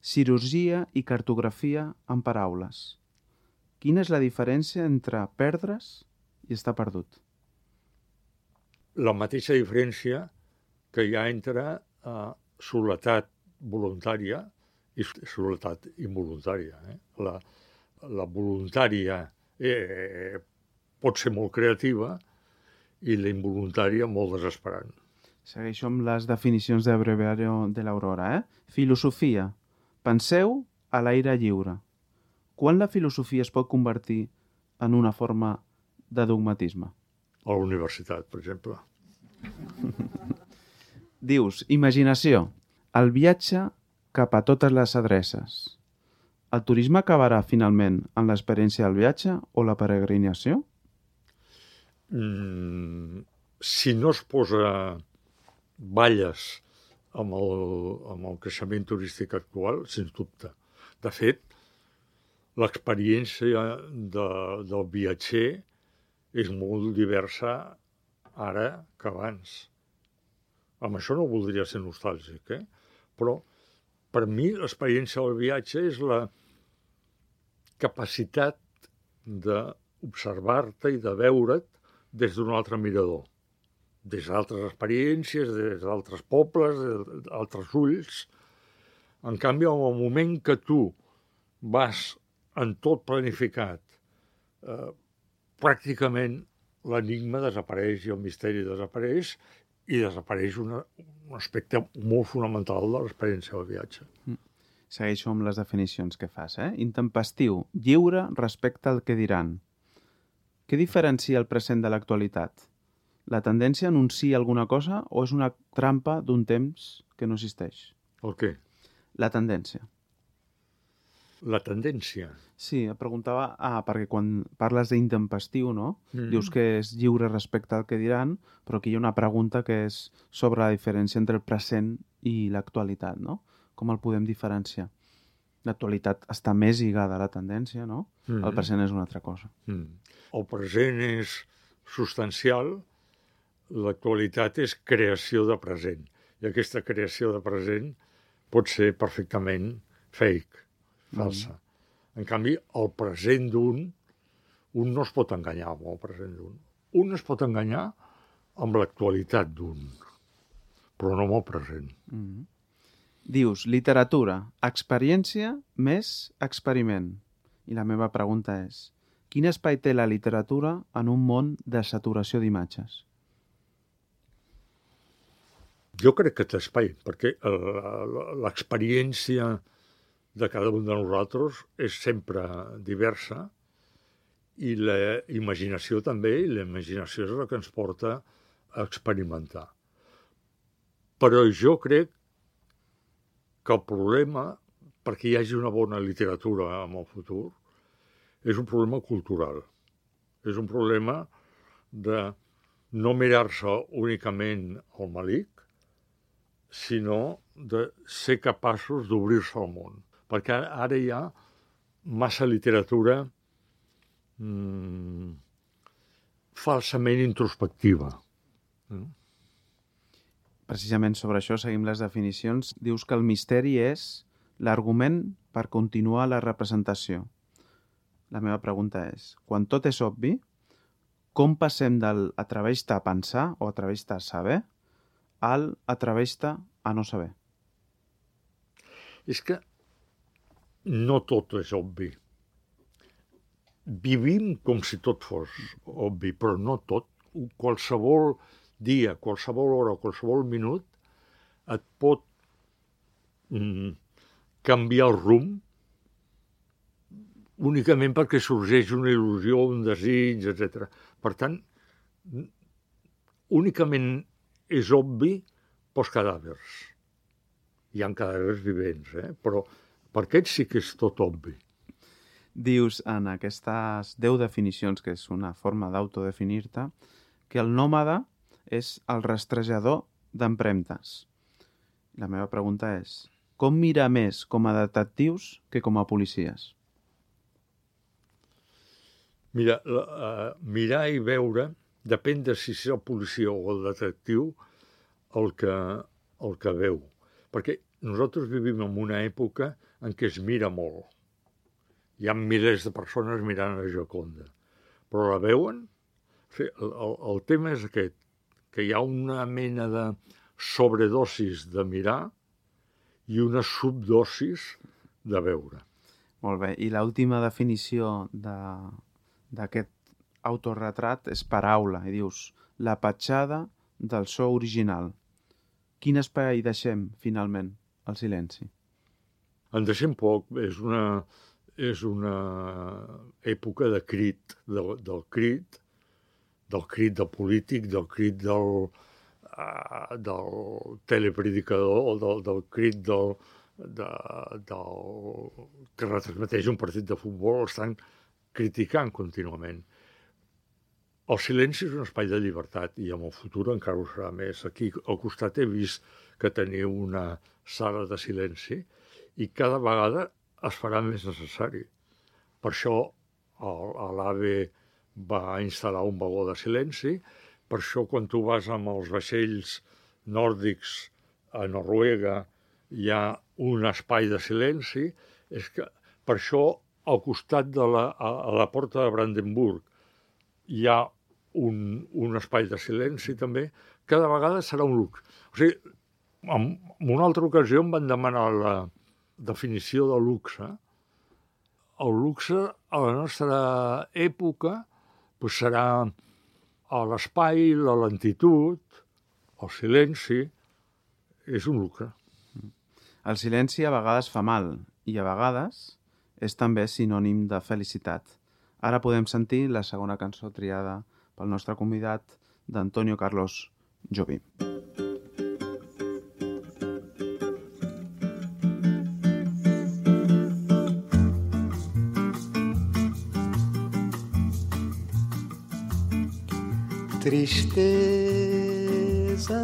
cirurgia i cartografia en paraules. Quina és la diferència entre perdre's i estar perdut? La mateixa diferència que hi ha entre soledat voluntària i soledat involuntària. La voluntària pot ser molt creativa i la involuntària molt desesperant. Segueixo amb les definicions de Breviario de l'Aurora. Filosofia. Penseu a l'aire lliure. Quan la filosofia es pot convertir en una forma de dogmatisme? A la universitat, per exemple. Dius, imaginació. El viatge cap a totes les adreces. El turisme acabarà finalment en l'experiència del viatge o la peregrinació? Si no es posa balles amb el creixement turístic actual, sens dubte. De fet, l'experiència del viatger és molt diversa ara que abans. Amb això no voldria ser nostàlgic, però per mi l'experiència del viatge és la capacitat d'observar-te i de veure't des d'un altre mirador, des d'altres experiències, des d'altres pobles, des d'altres ulls. En canvi, en el moment que tu vas en tot planificat, pràcticament l'enigma desapareix i el misteri desapareix i desapareix un aspecte molt fonamental de l'experiència del viatge. Segueixo amb les definicions que fas. Intempestiu, lliure respecte al que diran. Què diferencia el present de l'actualitat? La tendència anuncia alguna cosa o és una trampa d'un temps que no existeix? El què? La tendència. La tendència. Sí, et preguntava, perquè quan parles d'intempestiu, no? Dius que és lliure respecte al que diran, però aquí hi ha una pregunta que és sobre la diferència entre el present i l'actualitat, no? Com el podem diferenciar? L'actualitat està més lligada a la tendència, no? El present és una altra cosa. El present és substancial, l'actualitat és creació de present. I aquesta creació de present pot ser perfectament fake, falsa. En canvi, el present d'un no es pot enganyar amb el present d'un. Un es pot enganyar amb l'actualitat d'un, però no amb el present. Dius, literatura, experiència més experiment. I la meva pregunta és, quin espai té la literatura en un món de saturació d'imatges? Jo crec que té espai, perquè l'experiència de cada un de nosaltres és sempre diversa i la imaginació també, i la imaginació és la que ens porta a experimentar. Però jo crec que el problema, perquè hi hagi una bona literatura en el futur, és un problema cultural. És un problema de no mirar-se únicament al malic, sinó de ser capaços d'obrir-se al món. Perquè ara hi ha massa literatura falsament introspectiva. Precisament sobre això seguim les definicions. Dius que el misteri és l'argument per continuar la representació. La meva pregunta és, quan tot és obvi, com passem del atreveix-te a pensar o atreveix-te a saber al atreveix-te a no saber? És que no tot és obvi. Vivim com si tot fos obvi, però no tot. Qualsevol dia, qualsevol hora, qualsevol minut et pot canviar el rumb únicament perquè sorgeix una il·lusió, un desig, etc. Per tant, únicament és obvi pels cadàvers. Hi ha cadàvers vivents, però per aquests sí que és tot obvi. Dius en aquestes 10 definicions, que és una forma d'autodefinir-te, que el nòmada és el rastrejador d'empremtes. La meva pregunta és, com mirar més com a detectius que com a policies? Mira, mirar i veure depèn de si és el policia o el detectiu el que veu. Perquè nosaltres vivim en una època en què es mira molt. Hi ha milers de persones mirant a Gioconda. Però la veuen? El tema és aquest, que hi ha una mena de sobredosis de mirar i una subdosis de veure. Molt bé. I l'última definició d'aquest autorretrat és paraula. I dius, la petjada del so original. Quin espai deixem, finalment, al silenci? En deixem poc. És una època de crit, del crit del polític, del crit del telepredicador, del crit que retransmeteix un partit de futbol, estan criticant contínuament. El silenci és un espai de llibertat i en el futur encara ho serà més. Aquí al costat he vist que teniu una sala de silenci i cada vegada es farà més necessari. Per això l'AVE va instal·lar un vagó de silenci, per això quan tu vas amb els vaixells nòrdics a Noruega hi ha un espai de silenci, és que per això al costat a la porta de Brandenburg hi ha un espai de silenci també, cada vegada serà un luxe. O sigui, en una altra ocasió em van demanar la definició de luxe. El luxe a la nostra època serà l'espai, la lentitud, el silenci, és un luxe. El silenci a vegades fa mal i a vegades és també sinònim de felicitat. Ara podem sentir la segona cançó triada pel nostre convidat d'Antonio Carlos Jobim. Tristeza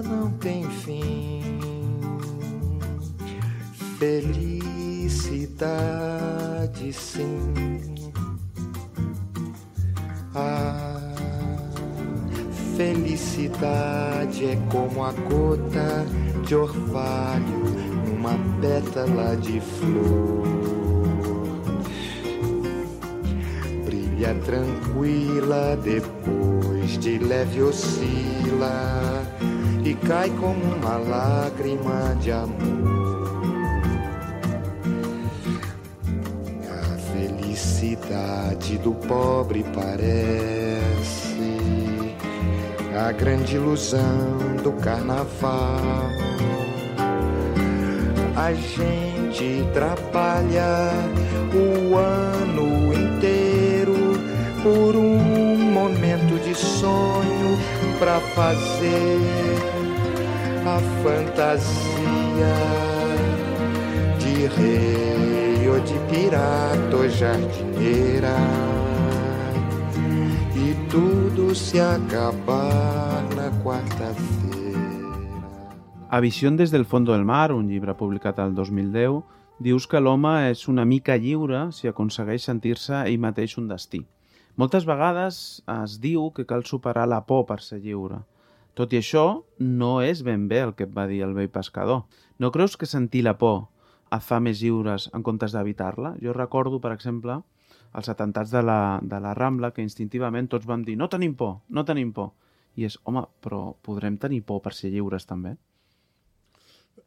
não tem fim, felicidade sim. A felicidade é como a gota de orvalho numa pétala de flor. Brilha tranquila, depois de leve oscila e cai como uma lágrima de amor. A felicidade do pobre parece a grande ilusão do carnaval. A gente trabalha o ano inteiro por um momento de sonho pra fazer a fantasia de rei ou de pirata ou jardineira. E tudo se acabar na quarta-feira. A Visió des del fondo del mar, un llibre publicat el 2010, dius que l'home és una mica lliure si aconsegueix sentir-se ell mateix un destí. Moltes vegades es diu que cal superar la por per ser lliure. Tot i això, no és ben bé el que et va dir el vell pescador. No creus que sentir la por et fa més lliures en comptes d'evitar-la? Jo recordo, per exemple, els atemptats de la Rambla, que instintivament tots vam dir no tenim por, no tenim por. I és, home, però podrem tenir por per ser lliures també?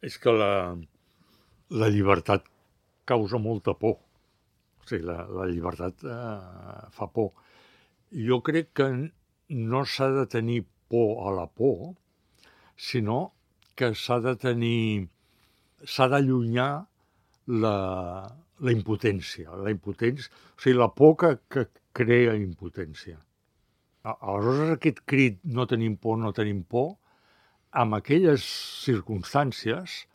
És que la llibertat causa molta por. O sigui, la llibertat fa por. Jo crec que no s'ha de tenir por a la por, sinó que s'ha d'allunyar la impotència. O sigui, la por que crea impotència. Aleshores, aquest crit no tenim por, en aquelles circumstàncies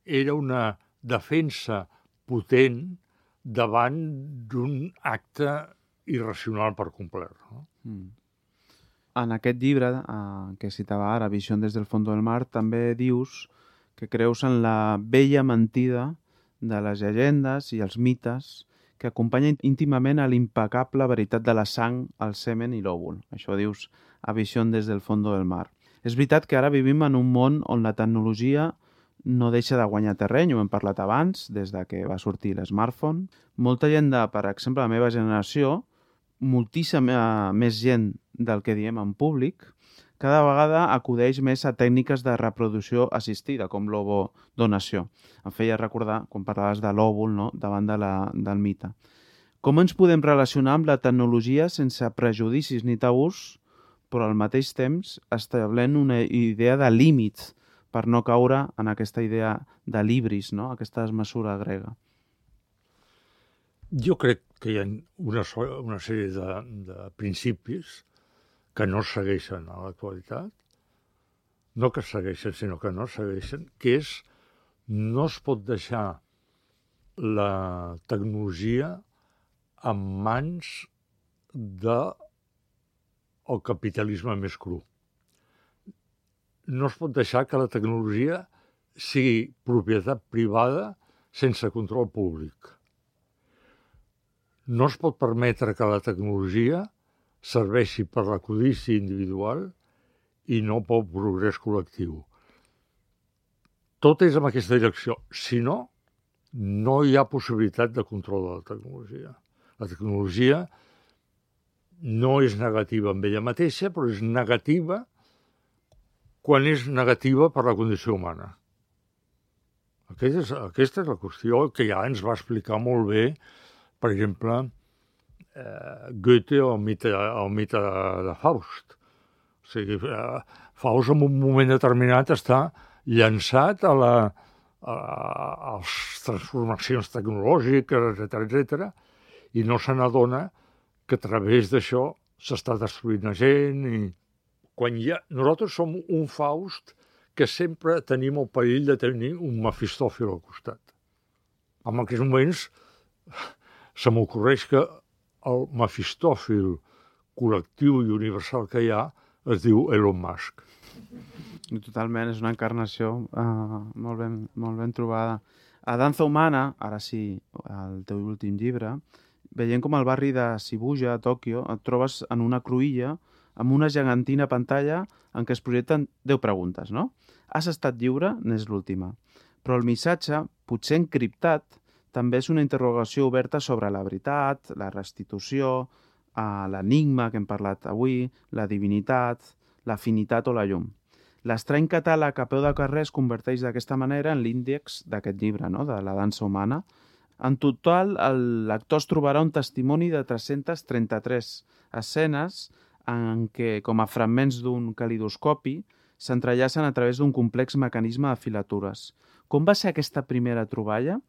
era una defensa potent davant d'un acte irracional per complet. No? En aquest llibre que citava ara, Visió des del fondo del mar, també dius que creus en la vella mentida de les llegendes i els mites que acompanyen íntimament a l'impecable veritat de la sang, el semen i l'òvul. Això dius a Visió des del fondo del mar. És veritat que ara vivim en un món on la tecnologia no deixa de guanyar terreny, ho hem parlat abans, des de que va sortir l'smartphone. Molta gent per exemple, la meva generació, moltíssima més gent del que diem en públic, cada vegada acudeix més a tècniques de reproducció assistida, com l'ovodonació. Em feia recordar, quan parlaves de l'òvul, no?, davant del mite. Com ens podem relacionar amb la tecnologia sense prejudicis ni tabús, però al mateix temps establint una idea de límit per no caure en aquesta idea de libris, no?, aquesta desmesura grega? Jo crec que hi ha una sèrie de principis que no segueixen a l'actualitat, no que segueixen, sinó que no segueixen, que és no es pot deixar la tecnologia en mans del capitalisme més cru. No es pot deixar que la tecnologia sigui propietat privada sense control públic. No es pot permetre que la tecnologia serveixi per la codícia individual i no pel progrés col·lectiu. Tot és en aquesta direcció. Si no, no hi ha possibilitat de control de la tecnologia. La tecnologia no és negativa en ella mateixa, però és negativa quan és negativa per la condició humana. Aquesta és la qüestió que ja ens va explicar molt bé, per exemple, Goethe o el mite de Faust. O sigui, Faust en un moment determinat està llançat a les transformacions tecnològiques, etc., i no se n'adona que a través d'això s'està destruint la gent. I quan nosaltres som un Faust que sempre tenim el perill de tenir un Mefistòfil al costat. En aquests moments se m'ocorreix que el Mefistòfil col·lectiu i universal que hi ha es diu Elon Musk. Totalment, és una encarnació molt ben trobada. A Danza Humana, ara sí, el teu últim llibre, veient com al barri de Shibuya, a Tòquio, et trobes en una cruïlla amb una gegantina pantalla en què es projecten 10 preguntes, no? Has estat lliure? N'és l'última. Però el missatge, potser encriptat, també és una interrogació oberta sobre la veritat, la restitució, l'enigma que hem parlat avui, la divinitat, l'afinitat o la llum. L'estrany catàleg a peu de carrer es converteix d'aquesta manera en l'índex d'aquest llibre, no?, de la dansa humana. En total, el lector es trobarà un testimoni de 333 escenes en què, com a fragments d'un calidoscopi, s'entrellacen a través d'un complex mecanisme de filatures. Com va ser aquesta primera troballa?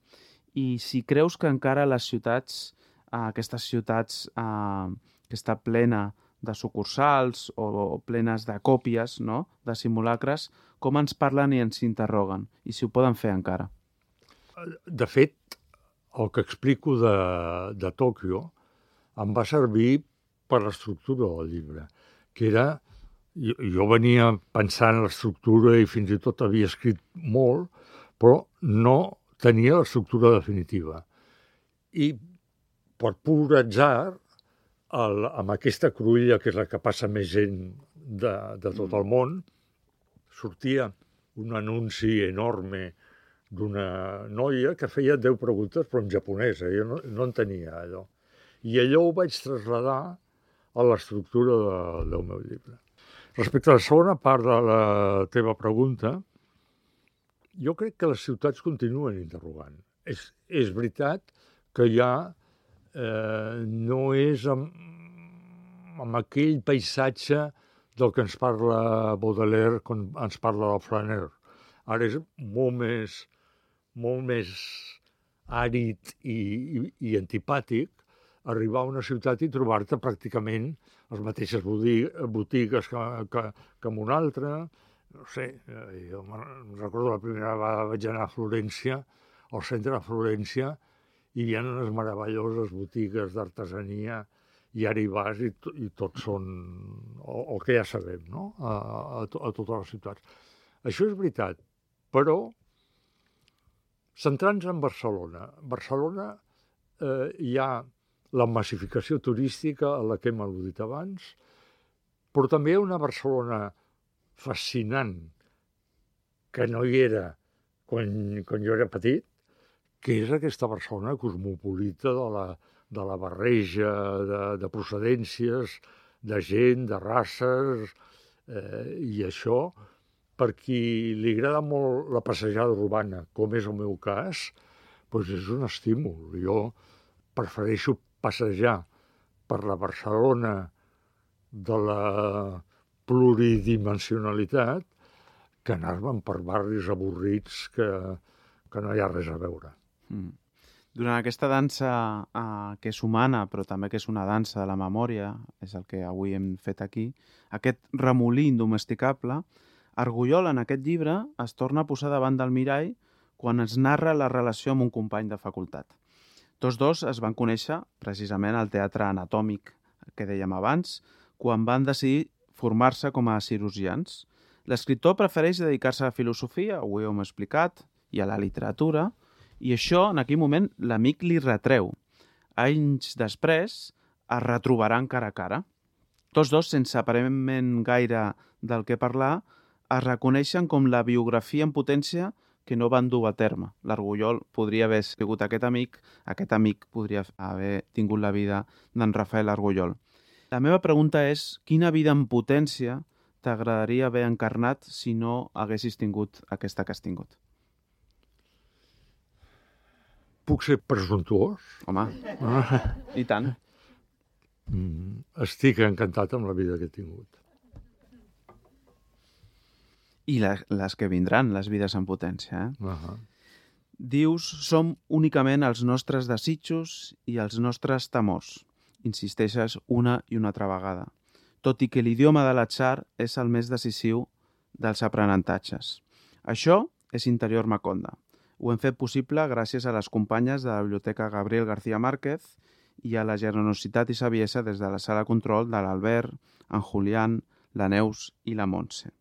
I si creus que encara les ciutats, aquestes ciutats que està plena de sucursals o plenes de còpies, no?, de simulacres, com ens parlen i ens interroguen? I si ho poden fer encara? De fet, el que explico de Tòquio em va servir per l'estructura del llibre, que era... Jo venia pensant en l'estructura i fins i tot havia escrit molt, però no tenia l'estructura definitiva. I per pur atzar, amb aquesta cruïlla, que és la que passa més gent de tot el món, sortia un anunci enorme d'una noia que feia 10 preguntes, però en japonès. Jo no entenia allò. I allò ho vaig traslladar a l'estructura del meu llibre. Respecte a la segona part de la teva pregunta, jo crec que les ciutats continuen interrogant. És veritat que ja no és amb aquell paisatge del que ens parla Baudelaire quan ens parla del Flaner. Ara és molt més àrid i antipàtic arribar a una ciutat i trobar-te pràcticament les mateixes botigues que en una altra. No sé, jo recordo la primera vegada vaig anar a Florència, al centre de Florència, i hi ha unes meravelloses botigues d'artesania, i ara hi vas i tots són el que ja sabem, no?, a totes les ciutats. Això és veritat, però centrant-nos en Barcelona. Barcelona hi ha la massificació turística a la que hem al·ludit abans, però també hi ha una Barcelona fascinant que no hi era quan jo era petit, que és aquesta Barcelona cosmopolita de la barreja de procedències, de gent, de races, i això, per qui li agrada molt la passejada urbana, com és el meu cas, doncs és un estímul. Jo prefereixo passejar per la Barcelona de la pluridimensionalitat que anar-me'n per barris avorrits que no hi ha res a veure. Durant aquesta dansa que és humana, però també que és una dansa de la memòria, és el que avui hem fet aquí, aquest remolí indomesticable, Argullol en aquest llibre es torna a posar davant del mirall quan es narra la relació amb un company de facultat. Tots dos es van conèixer precisament al teatre anatòmic que dèiem abans, quan van decidir formar-se com a cirurgians. L'escriptor prefereix dedicar-se a la filosofia, ho hem explicat, i a la literatura, i això en aquell moment l'amic li retreu. Anys després es retrobaran cara a cara. Tots dos, sense aparentment gaire del que parlar, es reconeixen com la biografia en potència que no van dur a terme. L'Argullol podria haver sigut aquest amic podria haver tingut la vida d'en Rafael Argullol. La meva pregunta és, quina vida en potència t'agradaria haver encarnat si no haguessis tingut aquesta que has tingut? Puc ser presumptuós? Home, i tant. Estic encantat amb la vida que he tingut. I les que vindran, les vides en potència. Uh-huh. Dius, som únicament els nostres desitjos i els nostres temors. Insisteixes una i una altra vegada. Tot i que l'idioma de l'atzar és el més decisiu dels aprenentatges. Això és Interior Maconda. Ho hem fet possible gràcies a les companyes de la Biblioteca Gabriel García Márquez i a la generositat i saviesa des de la sala control de l'Albert, en Julián, la Neus i la Montse.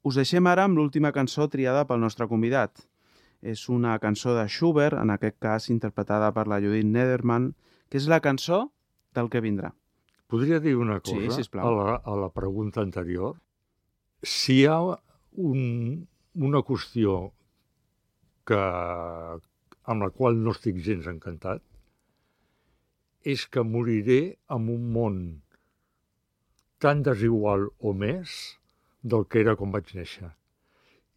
Us deixem ara amb l'última cançó triada pel nostre convidat. És una cançó de Schubert, en aquest cas interpretada per la Judith Nederman, que és la cançó del que vindrà. Podria dir una cosa Sí, sisplau. a la pregunta anterior? Si hi ha una qüestió amb la qual no estic gens encantat, és que moriré en un món tan desigual o més del que era quan vaig néixer.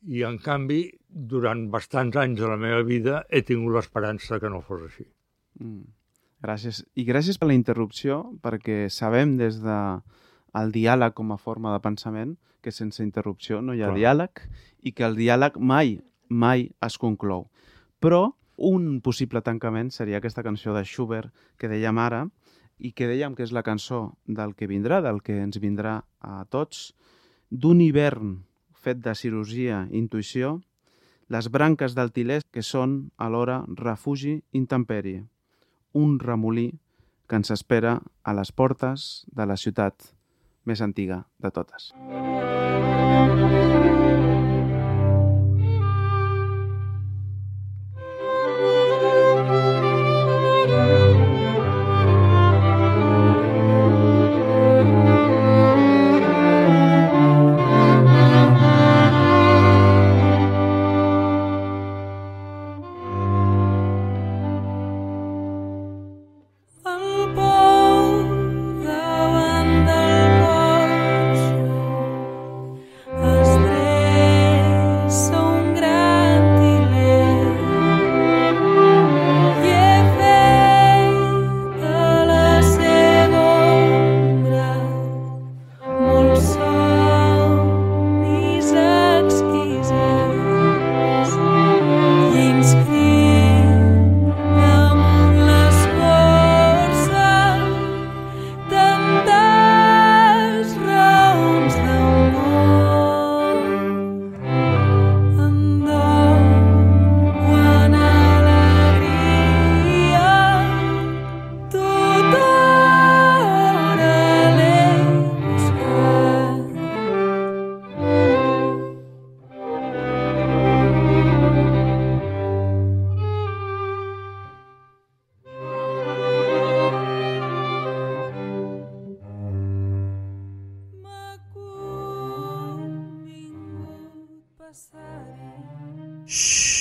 I, en canvi, durant bastants anys de la meva vida he tingut l'esperança que no fos així. Gràcies. I gràcies per la interrupció, perquè sabem des del diàleg com a forma de pensament que sense interrupció no hi ha diàleg i que el diàleg mai es conclou. Però un possible tancament seria aquesta cançó de Schubert que dèiem ara i que dèiem que és la cançó del que vindrà, del que ens vindrà a tots, d'un hivern fet de cirurgia i intuïció, les branques del Tilè que són alhora refugi i intempèrie, un remolí que ens espera a les portes de la ciutat més antiga de totes. Shh.